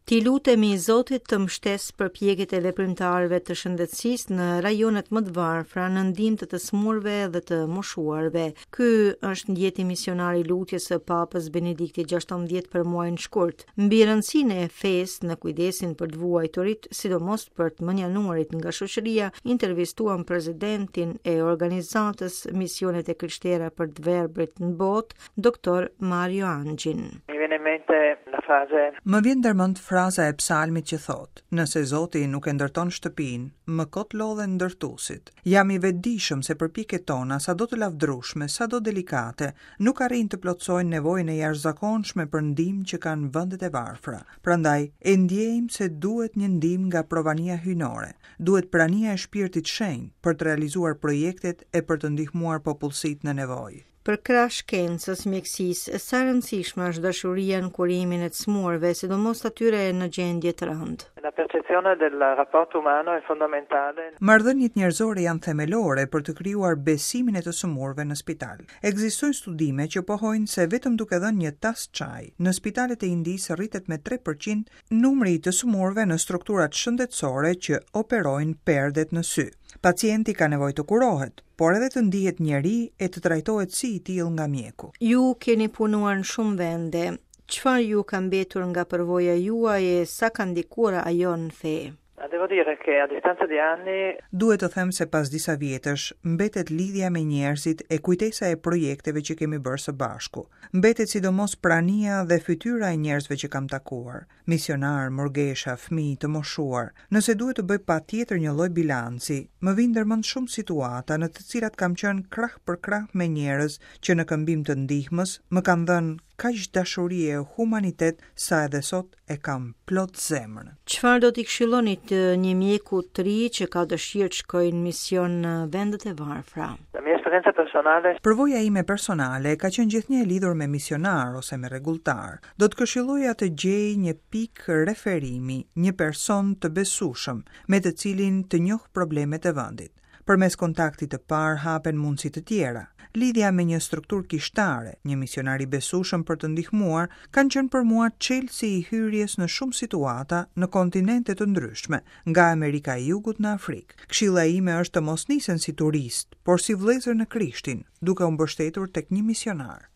T'i lutemi Zotit të mbështesë përpjekjet e veprimtarëve të shëndetësisë në rajonet më të varfra në ndihmë të të sëmurëve dhe të moshuarve. Ky është ndjeti misionar i lutjes së Papës Benedikti XVI për muajin shkurt. Mbi rëndësinë e fesë në kujdesin për të vuajturit, sidomos për të mënjanuarit nga shoqëria, intervistuam presidentin e organizatës Misionet e Krishtera për të Verbrit në Botë, Doktor Mario Angin. Mi viene in mente la frase Më vjen ndërmend fraza e psalmit që thotë, Nëse Zoti nuk e ndërton shtëpinë, më kot lodhen ndërtuesit. Jam i vetëdijshëm se përpjekjet tona, sado të lavdërueshme, sado delikate, nuk arrijnë të plotësojnë nevojën e jashtëzakonshme për ndihmë që kanë vendet e varfra. Prandaj, e ndjejmë se duhet një ndihmë nga provania hyjnore, duhet prania e Shpirtit Shenjt për të realizuar projektet e për të ndihmuar popullsitë në nevojë. Përkrah shkencës, mjekësisë, sa e rëndësishme është dashuria në kurimin e të sëmurëve, sidomos atyre në gjendje të rëndë? La percezione del rapporto umano è fondamentale. Marrëdhëniet njerëzore janë themelore për të krijuar besimin e të sëmurëve në spital. Ekzistojnë studime që pohojnë se vetëm duke dhënë një tas çaj, në spitalet e Indisë rritet me 3% Numri i të sëmurëve në strukturat shëndetësore që operojnë perdet në sy. Pacienti ka nevojë të kurohet, por edhe të ndihet njeri e të trajtohet si i tillë nga mjeku. Ju keni punuar në shumë vende. Çfarë ju ka mbetur nga përvoja juaj e sa ka ndikuar ajo në fe? Devo dire che a distanza di anni Duhet të them se pas disa vjetësh, mbetet lidhja me njerëzit e kujtesa e projekteve që kemi bërë së bashku. Mbetet sidomos prania dhe fytyra e njerëzve që kam takuar, misionarë, murgesha, fëmijë, të moshuar. Nëse duhet të bëj patjetër një lloj bilanci, më vijnë ndërmend shumë situata në të cilat kam qenë krah për krah me njerëz që në këmbim të ndihmës më kanë dhënë kaq dashuri e humanitet sa edhe sot e kam plot zemrën. Çfarë do t'i këshillonit një mjeku të ri që ka dëshirë të shkojë në mision në vendet e varfra? La mia esperienza personale Përvoja ime personale ka qenë gjithnjë e lidhur me misionarë ose me rregulltarë. Do të këshilloja të gjejë një pikë referimi, një person të besueshëm, me të cilin të njohë problemet e vendit. Përmes kontaktit të parë hapen mundësi të tjera. Lidhja me një strukturë kishtare, një misionar i besueshëm për të ndihmuar, kanë qenë për mua çelësi i hyrjes në shumë situata në kontinente të ndryshme, nga Amerika e Jugut në Afrikë. Këshilla ime është të mos nisen si turistë, por si vëllezër në Krishtin, duke u mbështetur tek një misionar.